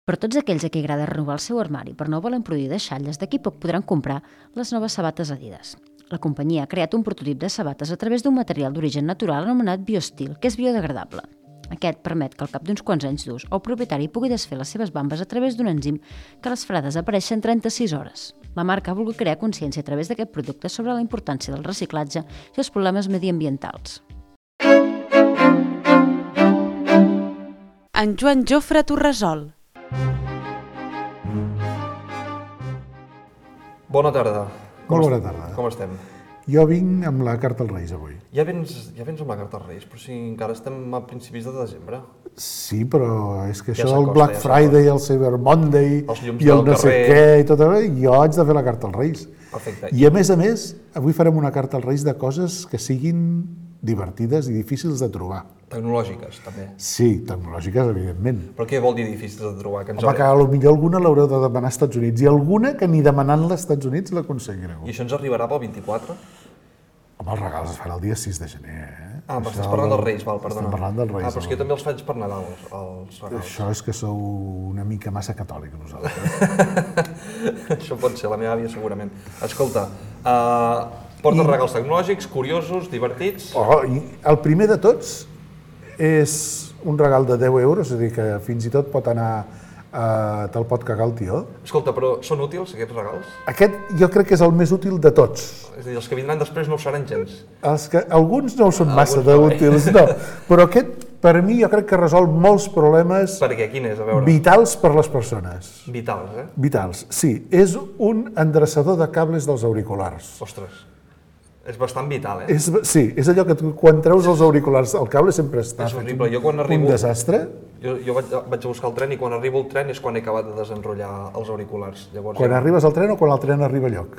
Per tots aquells a qui agrada renovar el seu armari però no volen produir deixalles, d'aquí poc podran comprar les noves sabates Adidas. La companyia ha creat un prototip de sabates a través d'un material d'origen natural anomenat Biostil, que és biodegradable. Aquest permet que al cap d'uns quants anys d'ús el propietari pugui desfer les seves bambes a través d'un enzim que les farà desaparèixer en trenta-sis hores. La marca ha volgut crear consciència a través d'aquest producte sobre la importància del reciclatge i els problemes mediambientals. En Joan Jofre Torresol. Bona tarda. Com Molt bona est- tarda. Com estem? Jo vinc amb la carta als Reis avui. Ja vens, ja vens amb la carta als Reis, però si encara estem a principis de desembre. Sí, però és que Ja això s'acosta, del Black ja Friday, el Cyber Monday Els llums i el del no sé carrer. què i tot això, jo haig de fer la carta als Reis. Perfecte. I a més a més, avui farem una carta als Reis de coses que siguin divertides i difícils de trobar. Tecnològiques, també. Sí, tecnològiques, evidentment. Però què vol dir difícils de trobar? Que ens Home, que haurem- potser alguna l'haureu de demanar als Estats Units i alguna que ni demanant-la als Estats Units l'aconseguireu. I això ens arribarà pel vint-i-quatre? Home, els regals es fan el dia sis de gener, eh? Ah, però Això estàs parlant del- dels Reis, val, perdona. Estem parlant dels Reis. Ah, però és que jo home. també els faig per Nadal, els, els regals. Això és que sou una mica massa catòlic, nosaltres. Això pot ser, la meva àvia segurament. Escolta, uh, portes I- regals tecnològics, curiosos, divertits... Oh, i el primer de tots és un regal de deu euros, és a dir, que fins i tot pot anar, eh, te'l pot cagar el tió. Escolta, però són útils, aquests regals? Aquest jo crec que és el més útil de tots. És a dir, els que vindran després no ho seran gens. Els que, alguns no ho són massa Alguns no, eh? d'útils, no, però aquest, per mi, jo crec que resol molts problemes Per què? Quin és? A veure. vitals per les persones. Vitals, eh? Vitals, sí. És un endreçador de cables dels auriculars. Ostres, és bastant vital, eh? És, sí, és allò que tu, quan treus els auriculars, el cable sempre està És fet horrible. un, Jo quan arribo- un desastre. Jo, jo vaig, vaig a buscar el tren i quan arribo al tren és quan he acabat de desenrotllar els auriculars. Llavors, Quan ja- arribes al tren o quan el tren arriba a lloc?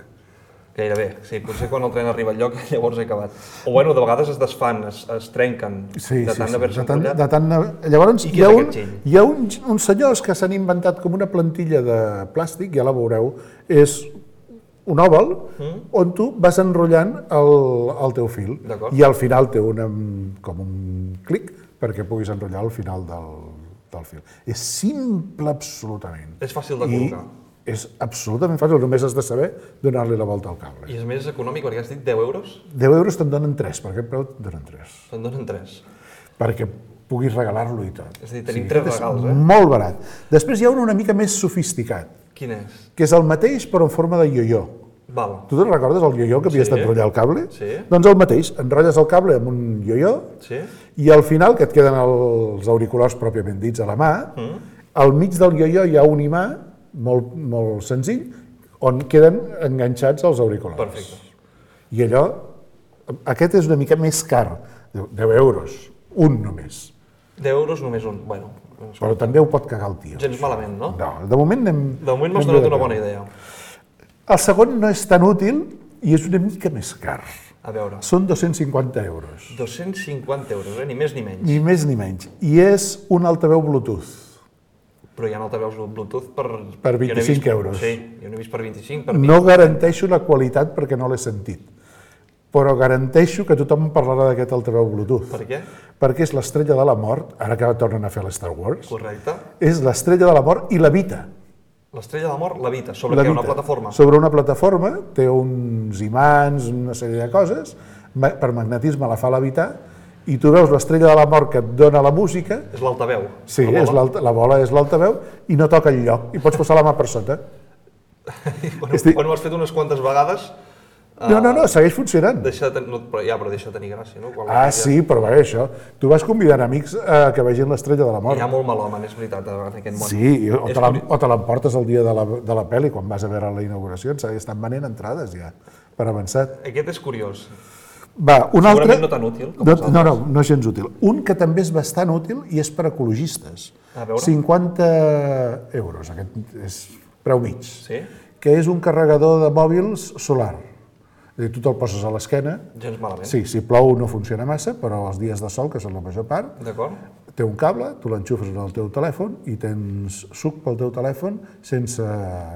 Gairebé, sí. Potser quan el tren arriba al lloc llavors he acabat. O bueno, de vegades es desfan, es, es trenquen Sí, de sí, tant sí. d'haver-se De tant, enrotllat. de tant, llavors, I hi qui ha, és un, aquest giny? hi ha un, uns senyors que s'han inventat com una plantilla de plàstic, ja la veureu, és un òval Mm. on tu vas enrotllant el, el teu fil D'acord. i al final té una, com un clic perquè puguis enrotllar al final del, del fil. És simple absolutament. És fàcil de I col·locar. és absolutament fàcil, només has de saber donar-li la volta al cable. I és més econòmic perquè has dit deu euros? deu euros te'n donen tres, per aquest preu te'n donen tres. Te'n donen tres. Perquè puguis regalar-lo i tot. És a dir, tenim tres aquest és regals, eh? Molt barat. Després hi ha un una mica més sofisticat, Quin és? que és el mateix però en forma de ioió. Val. Tu te'n recordes el ioió que havies Sí. d'enrotllar el cable? Sí. Doncs el mateix, enrotlles el cable amb un ioió Sí? i al final, que et queden els auriculars pròpiament dits a la mà, Mm. al mig del ioió hi ha un imà molt, molt senzill on queden enganxats els auriculars. Perfecte. I allò, aquest és una mica més car, deu euros, un només. deu euros només un. Bueno, Però també ho pot cagar el tio. gens malament, no? No, de moment anem... De moment m'has anem donat bé una de bona peu. idea. El segon no és tan útil i és una mica més car. A veure, Són dos-cents cinquanta euros, dos-cents cinquanta euros, eh? Ni més ni menys. ni més ni menys. I és un altaveu Bluetooth. Però hi ha altaveus Bluetooth per... Per jo n'he vint-i-cinc vist- euros. Sí, jo n'he vist per vint-i-cinc, per vint. No garanteixo la qualitat perquè no l'he sentit, però garanteixo que tothom parlarà d'aquest altaveu Bluetooth. Per què? Perquè és l'estrella de la mort, ara que tornen a fer l'Star Wars, Correcte. és l'estrella de la mort i l'evita. L'estrella de mort l'evita. Sobre què? Levita. Una plataforma? Sobre una plataforma, té uns imants, una sèrie de coses, ma- per magnetisme la fa levitar, i tu veus l'estrella de la mort que et dona la música, És l'altaveu. sí, La és bola. l'alta- la bola és l'altaveu, i no toca el lloc, i pots posar la mà per sota. Bueno, Estic- quan ho has fet unes quantes vegades... No, no, no, segueix funcionant. Deixa de ten... no, però, ja, però deixa de tenir gràcia, no? Quan Ah, ja- sí, però bé, això, tu vas convidant amics a que vegin l'estrella de la mort. Hi ha molt malhome, és veritat, en aquest món. Sí, i- o És te la- curi- o te l'emportes el dia de la, de la pel·li, quan vas a veure la inauguració, ens estan venent entrades ja, per avançat. Aquest és curiós. Va, un altre... Segurament no tan útil com no, els no, no, altres. no és gens útil. Un que també és bastant útil i és per ecologistes. A veure. cinquanta euros, aquest és preu mig. Sí? Que és un carregador de mòbils solar. És a dir, tu te'l poses a l'esquena. Gens malament. Sí, si plou no funciona massa, però els dies de sol, que són la major part, D'acord? té un cable, tu l'enxufes en el teu telèfon i tens suc pel teu telèfon sense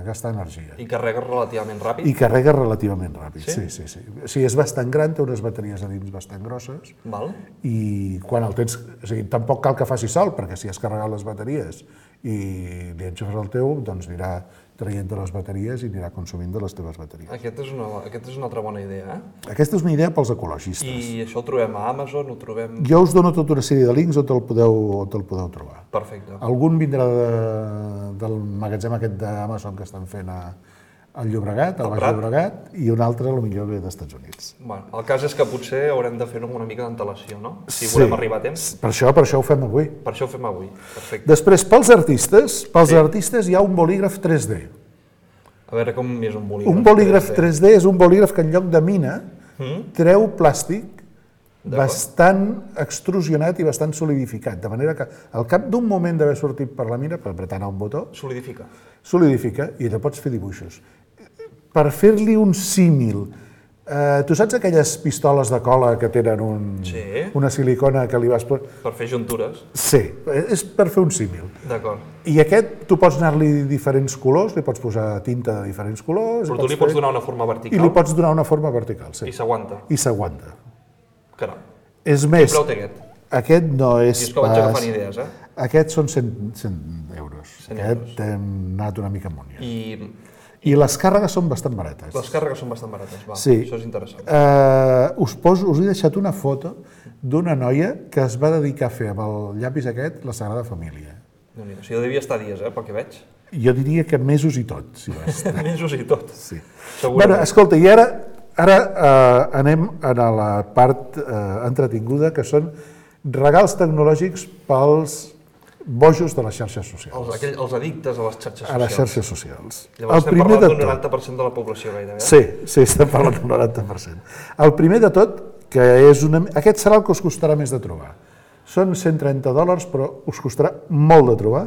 gastar energia. I carregues relativament ràpid? I carrega relativament ràpid, Sí? sí, sí, sí. O sigui, és bastant gran, té unes bateries a dins bastant grosses Val? i quan el tens... O sigui, tampoc cal que faci sol, perquè si has carregat les bateries i li enxufes el teu, doncs anirà traient de les bateries i anirà consumint de les teves bateries. Aquest és una, aquest és una altra bona idea, eh? Aquesta és una idea pels ecologistes. I això ho trobem a Amazon, ho trobem... Jo us dono tota una sèrie de links on te'l podeu, on te'l podeu trobar. Perfecte. Algun vindrà de, del magatzem aquest d'Amazon que estan fent a, al Llobregat, al Al Baix Prat. Llobregat, i un altre potser ve dels Estats Units. Bueno, el cas és que potser haurem de fer-ho amb una mica d'antelació, no? Si volem arribar a temps. Per això, per això ho fem avui. Per això ho fem avui. Perfecte. Després, pels artistes, pels Sí. artistes hi ha un bolígraf tres D. A veure com és un bolígraf. Un bolígraf tres D és un bolígraf que en lloc de mina treu plàstic bastant extrusionat i bastant solidificat, de manera que al cap d'un moment d'haver sortit per la mina, per apretar un botó, Solidifica. solidifica i allò pots fer dibuixos. Per fer-li un símil, eh, tu saps aquelles pistoles de cola que tenen un, Sí. una silicona que li vas... Per fer juntures. Sí, és per fer un símil. D'acord. I aquest, tu pots anar-li diferents colors, li pots posar tinta de diferents colors... Però tu li pots donar una forma vertical. I li pots donar una forma vertical, sí. I s'aguanta. I s'aguanta. Caram. És més, Quin preu té aquest? aquest no és I és que vaig pas... agafant idees, eh? Aquests són cent, cent euros. cent Aquest hem anat una mica amunt ja. I I les càrregues són bastant barates. les càrregues són bastant barates, va. Sí. Això és interessant. Eh, us, poso, us he deixat una foto d'una noia que es va dedicar a fer amb el llapis aquest la Sagrada Família. Déu-n'hi-do. O sigui, devia estar dies, eh, pel que veig. Jo diria que mesos i tot, si va estar. Mesos i tot. Sí. Segurament. Bueno, escolta, i ara, ara eh, anem a la part eh, entretinguda, que són regals tecnològics pels bojos de les xarxes socials. Els, aquell, els addictes a les xarxes socials. A les xarxes socials. Llavors estem parlant d'un noranta per cent de la població gairebé. Eh? Sí, sí, estem parlant d'un noranta per cent. El primer de tot, que és una... Aquest serà el que us costarà més de trobar. Són cent trenta dòlars, però us costarà molt de trobar,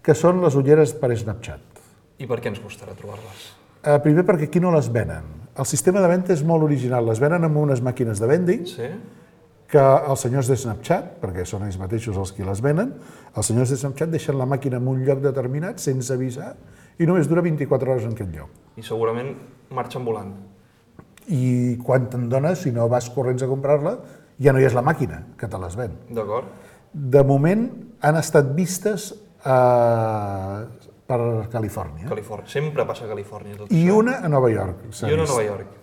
que són les ulleres per Snapchat. I per què ens costarà trobar-les? Eh, primer perquè aquí no les venen. El sistema de venda és molt original. Les venen amb unes màquines de vending, Sí? que els senyors de Snapchat, perquè són ells mateixos els qui les venen, els senyors de Snapchat deixen la màquina en un lloc determinat sense avisar i només dura vint-i-quatre hores en aquest lloc. I segurament marxen volant. I quan te'n dones, si no vas corrents a comprar-la, ja no hi és la màquina que te les ven. D'acord? De moment han estat vistes a... per Califòrnia Califòrnia. Sempre passa a Califòrnia tot i això. una a Nova York. s'ha I una a vist. Nova York.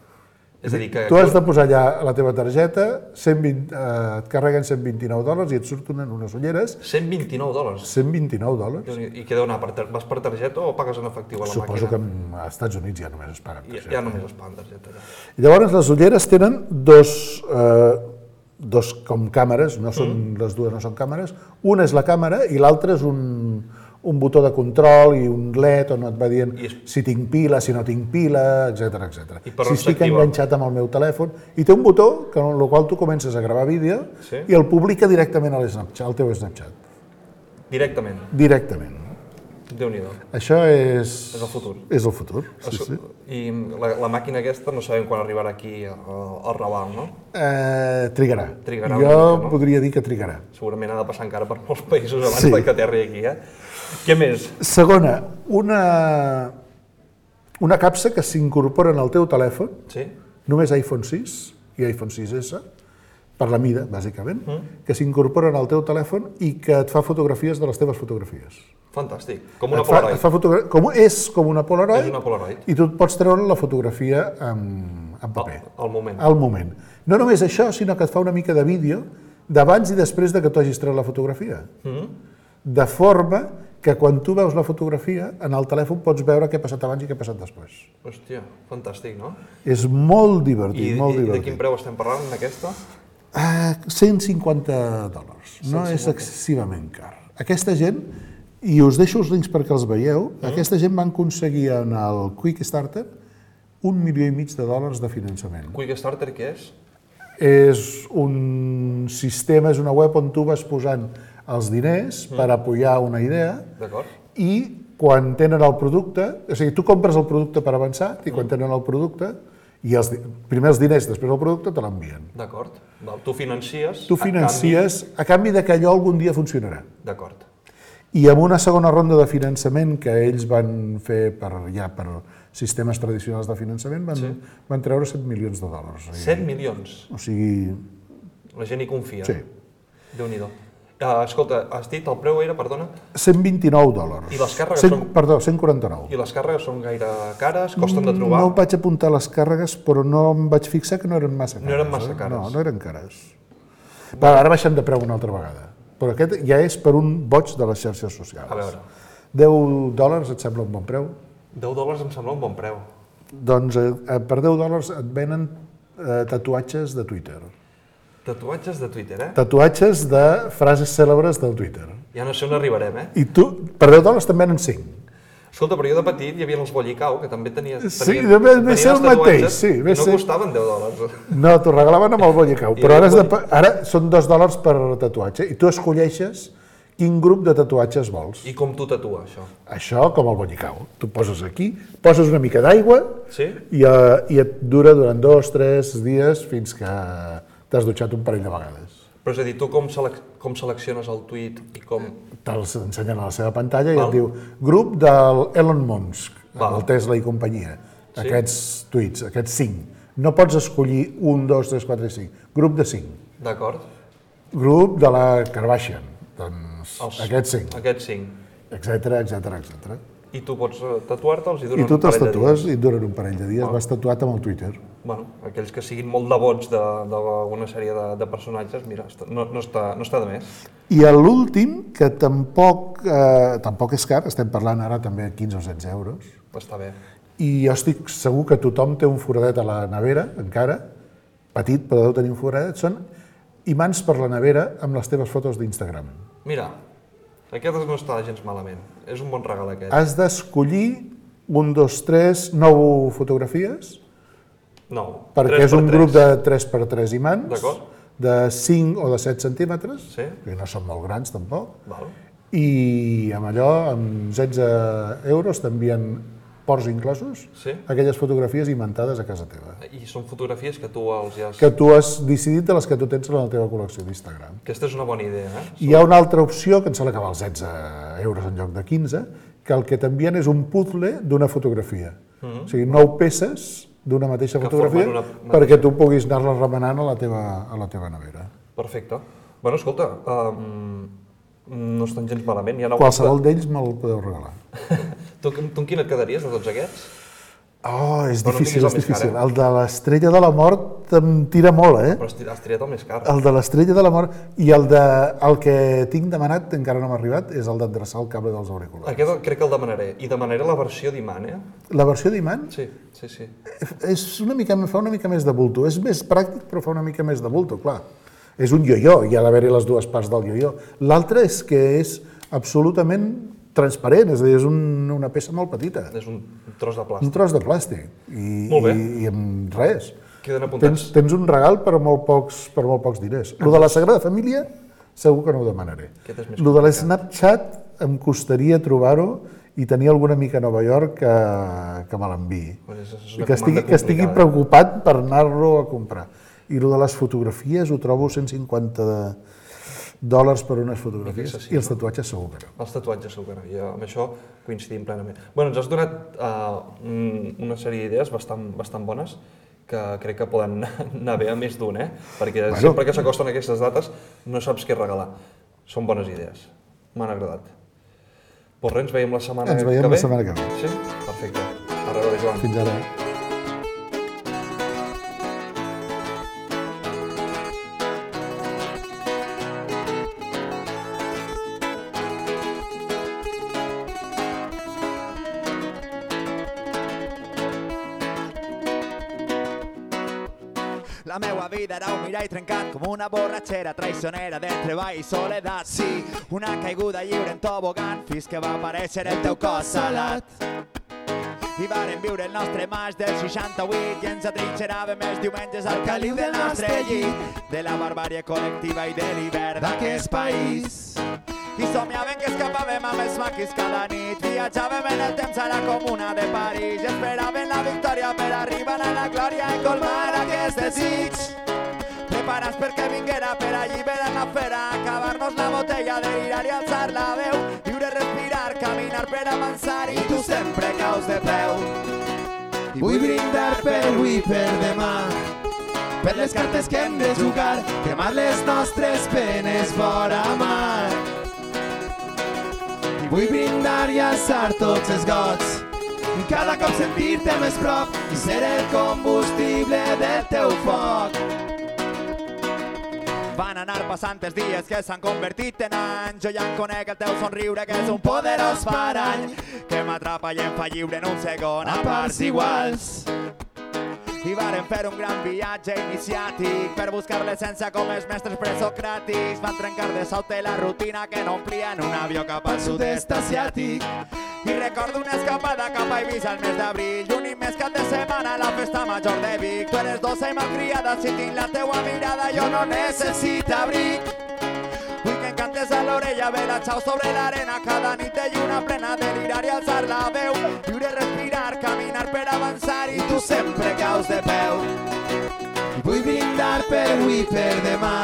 És a dir, que... Tu has de posar allà la teva targeta, cent vint, eh, et carreguen cent vint-i-nou dòlars i et surten unes ulleres cent vint-i-nou dòlars. cent vint-i-nou dòlars. I què deu anar? Per tar... Vas per targeta o pagues en efectiu a la Suposo que màquina? als Estats Units ja només es paguen Ja, targeta. ja només es paguen targeta. Ja. I llavors les ulleres tenen dos, eh, dos com càmeres, no són, mm. les dues no són càmeres, una és la càmera i l'altra és un, un botó de control i un L E D on et va dient I és... si tinc pila, si no tinc pila, etcètera, etcètera. I per Si on estic s'activa? enganxat amb el meu telèfon, i té un botó que, amb el qual tu comences a gravar vídeo Sí. i el publica directament a l'Snapchat, al teu Snapchat. Directament. Directament. Déu-n'hi-do. Això és... És el futur. És el futur, sí, Esco- sí. I la, la màquina aquesta no sabem quan arribarà aquí al, al Raval, no? Eh, trigarà. Trigarà una jo mica, no? podria dir que trigarà. Segurament ha de passar encara per molts països abans Sí. de que aterri aquí, eh? Què més? Segona, una, una capsa que s'incorpora en el teu telèfon, Sí? només iPhone sis i iPhone sis essa, per la mida, bàsicament, mm. que s'incorporen al teu telèfon i que et fa fotografies de les teves fotografies. Fantàstic. Com una Et fa, Polaroid. et fa fotogra- com, és com una Polaroid, És una Polaroid. i tu et pots treure la fotografia en, en paper. Al, al moment. Al moment. No només això, sinó que et fa una mica de vídeo d'abans i després de que tu hagis tret la fotografia. Mm. De forma que quan tu veus la fotografia, en el telèfon pots veure què ha passat abans i què ha passat després. Hòstia, fantàstic, no? És molt divertit, I, molt i, i de divertit. quin preu estem parlant d'aquesta? Ah, cent cinquanta dòlars. No cent és cinquanta. excessivament car. Aquesta gent, i us deixo els links perquè els veieu, mm. aquesta gent van aconseguir en el Quickstarter un milió i mig de dòlars de finançament. Quick Starter, què és? És un sistema, és una web on tu vas posant els diners mm. per apoyar una idea D'acord? i quan tenen el producte, o sigui, tu compres el producte per avançar i quan tenen el producte, i els, di- primer els diners, després el producte, te l'envien. D'acord. Val, Tu financies... Tu financies a canvi de que allò algun dia funcionarà. Canvi... D'acord. I amb una segona ronda de finançament que ells van fer per, ja per sistemes tradicionals de finançament, van, Sí. van treure set milions de dòlars. O sigui, set milions. O sigui, La gent hi confia. sí, Déu-n'hi-do. Uh, escolta, has dit, el preu era, perdona, cent vint-i-nou dòlars. I les càrregues cent, són- Perdó, cent quaranta-nou. i les càrregues són gaire cares, costen de trobar. No vaig apuntar les càrregues, però no em vaig fixar que no eren massa cares. No eren massa eh? cares. No, no eren cares. Va, ara baixem de preu una altra vegada. Però aquest ja és per un boig de les xarxes socials. A veure. deu dòlars et sembla un bon preu? deu dòlars em sembla un bon preu. Doncs eh, per deu dòlars et venen eh, tatuatges de Twitter. Tatuatges de Twitter, eh? Tatuatges de frases cèlebres del Twitter. Ja no sé on arribarem, eh? I tu, per deu dòlars te'n venen cinc. Escolta, però jo de petit hi havia els bollicau, que també tenia, Sí, tenien, ve- ve tenien ser el els tatuatges mateix, sí, ve i no ser- costaven deu dòlars. No, t'ho regalaven amb el bollicau, I però ara, el has de, bolli- pa- ara són dos dòlars per tatuatge i tu escolleixes quin grup de tatuatges vols. I com tu tatua, això? Això com el bollicau. Tu poses aquí, poses una mica d'aigua Sí? i, uh, i et dura durant dos, tres dies fins que t'has dutxat un parell de vegades. Però és a dir, tu com, selec com selecciones el tuit i com... Te'ls ensenyen a la seva pantalla i Val. et diu grup del Elon Musk, Val. el Tesla i companyia. Sí. Aquests tuits, aquests cinc. No pots escollir un, dos, tres, quatre i cinc. Grup de cinc. D'acord? Grup de la Kardashian. Doncs Els- aquests cinc. Aquests cinc. Etcètera, etcètera, etcètera. I tu pots eh, tatuar-te'ls i I duren tu un te'ls parell de tatues dies. i et duren un parell de dies. Vas tatuat amb el Twitter. Bueno, aquells que siguin molt devots d'alguna sèrie de, de personatges, mira, està- no, no, està, no està de més. I a l'últim, que tampoc, eh, tampoc és car, estem parlant ara també de quinze o setze euros, Està bé. i jo estic segur que tothom té un foradet a la nevera, encara, petit, però deu tenir un foradet, són imants per la nevera amb les teves fotos d'Instagram. Mira, aquest no està gens malament. És un bon regal aquest. Has d'escollir un, dos, tres, nou fotografies, No. perquè tres és un per grup tres. de tres per tres imants, D'acord. de cinc o de set centímetres, Sí. que no són molt grans tampoc, Val. i amb allò, amb setze euros, t'envien ports inclosos, Sí. aquelles fotografies imantades a casa teva. I són fotografies que tu els ja has... Que tu has decidit de les que tu tens en la teva col·lecció d'Instagram. Aquesta és una bona idea, eh? Hi ha una altra opció, que em sembla que val setze euros en lloc de quinze, que el que t'envien és un puzzle d'una fotografia. O sigui, nou peces d'una mateixa Que fotografia formen una perquè tu puguis anar-les remenant a la teva, a la teva nevera. Perfecte. Bueno, escolta, um, no estan gens malament. Hi ha Qualsevol d'ells me'l podeu regalar. tu, tu amb quin et quedaries de tots aquests? Oh, és Però no difícil, tinguis és el més car, difícil. eh? El de l'estrella de la mort em tira molt, eh? Però has tirat- has triat el més car. El de l'estrella de la mort i el, de, el que tinc demanat, encara no m'ha arribat, és el d'endreçar el cable dels auriculars. Aquest crec que el demanaré. I demanaré la versió d'imant, eh? La versió d'imant Sí, sí, sí. és una mica, fa una mica més de bulto. És més pràctic, però fa una mica més de bulto, clar. És un ioió, hi ha d'haver-hi les dues parts del ioió. L'altre és que és absolutament transparent, és a dir, és un, una peça molt petita. És un tros de Un plàstic. tros de plàstic. I, Molt bé. i, i amb res. Queden Tens, apuntats. tens un regal per molt pocs, per molt pocs diners. Lo de la Sagrada Família, segur que no ho demanaré. Aquest és més Lo de complicat. l'Snapchat em costaria trobar-ho i tenir alguna mica a Nova York que, que me l'enviï. Pues és- és I una que estigui, comanda que estigui complicada. preocupat per anar-lo a comprar. I lo de les fotografies ho trobo cent cinquanta de dòlars per unes fotografies. excessiu, I els tatuatges segur que no. Els tatuatges segur que no. I amb això coincidim plenament. Bueno, ens has donat uh, una sèrie d'idees bastant, bastant bones que crec que poden anar bé a més d'un, eh? Perquè Bueno. sempre que s'acosten aquestes dates no saps què regalar. Són bones idees. M'han agradat. Pues res, ens veiem la setmana Ens veiem que ve? la setmana que ve. Sí? Perfecte. A reveure, Joan. Fins ara. La meua vida era un mirall trencat com una borratxera traicionera de treball i soledat. Sí, una caiguda lliure en tobogan fins que va aparèixer el teu cos salat. I vàrem viure el nostre maig del seixanta-vuit i ens atrinxeràvem els diumenges al caliu del nostre llit, de la barbàrie col·lectiva i de l'hivern d'aquest país. I somiàvem que escapàvem amb els maquis cada nit, viatjàvem en el temps a la comuna de París i esperàvem la victòria per arribar a la glòria i colmar aquest desig. Preparats perquè vinguera per alliberar la fera, acabar-nos la botella, delirar i alçar la veu, viure, respirar, caminar per avançar i tu sempre caus de peu. I vull brindar per avui i per demà, per les cartes que hem de jugar, cremar les nostres penes vora mar. I vull brindar i alçar tots els gots, i cada cop sentir-te més prop i ser el combustible del teu foc. Van anar passant els dies que s'han convertit en anys, jo ja en conec el teu somriure que és un poderós parany que m'atrapa i em fa lliure en un segon a parts iguals. i varen fer un gran viatge iniciàtic per buscar l'essència com els mestres presocràtics. Van trencar de sobte la rutina que no omplien un avió cap al sud-est asiàtic. I recordo una escapada cap a Eivissa al mes d'abril i un immens cap de setmana a la festa major de Vic. Tu eres dolça i malcriada, si tinc la teua mirada jo no necessito abric. Vull que em cantes a l'orella, ve la xau sobre l'arena, cada nit de lluna plena, delirar i alçar la veu, viure, respirar, caminar per avançar i tu sempre caus de peu. I vull brindar per avui, per demà,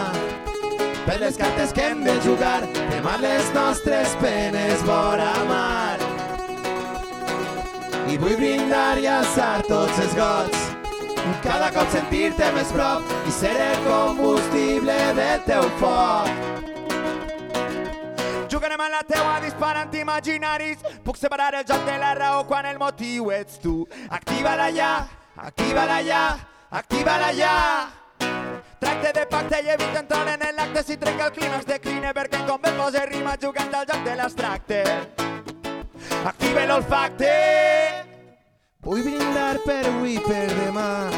per les cartes que hem de jugar, demà les nostres penes vora mar. I vull brindar i alçar tots els gots, cada cop sentir-te més prop i ser el combustible del teu foc. Jugarem a la teua disparant imaginaris, puc separar el joc de la raó quan el motiu ets tu. Activa-la ja, activa-la ja, activa-la ja. Tracte de pacte i evita entrar en l'acte, si trenca el clímax decline perquè em convé posa rima jugant al joc de l'abstracte. Active l'olfacte. Vull brindar per avui, per demà,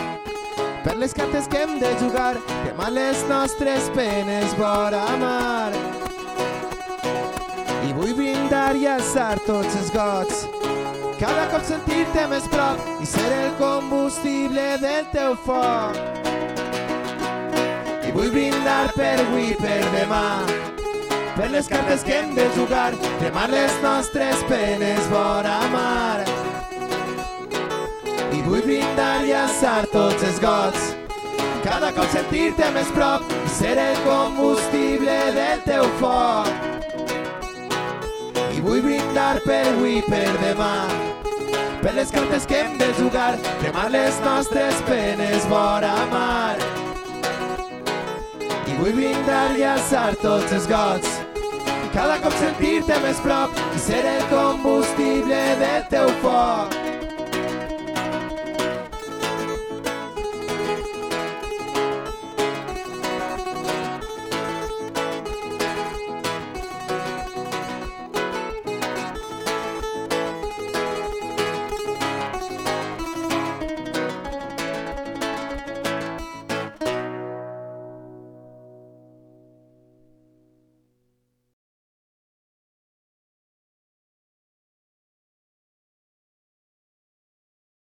per les cartes que hem de jugar, demà les nostres penes vora mar. I vull brindar i alçar tots els gots, cada cop sentir-te més prop i ser el combustible del teu foc. I vull brindar per avui, per demà, per les cartes que hem de jugar, demà les nostres penes vora mar. I vull brindar i alçar tots els gots, cada cop sentir-te més prop i ser el combustible del teu foc. I vull brindar per avui, per demà, per les cartes que hem de jugar, demà les nostres penes vora mar. I vull brindar i alçar tots els gots, cada cop sentir-te més prop i ser el combustible del teu foc.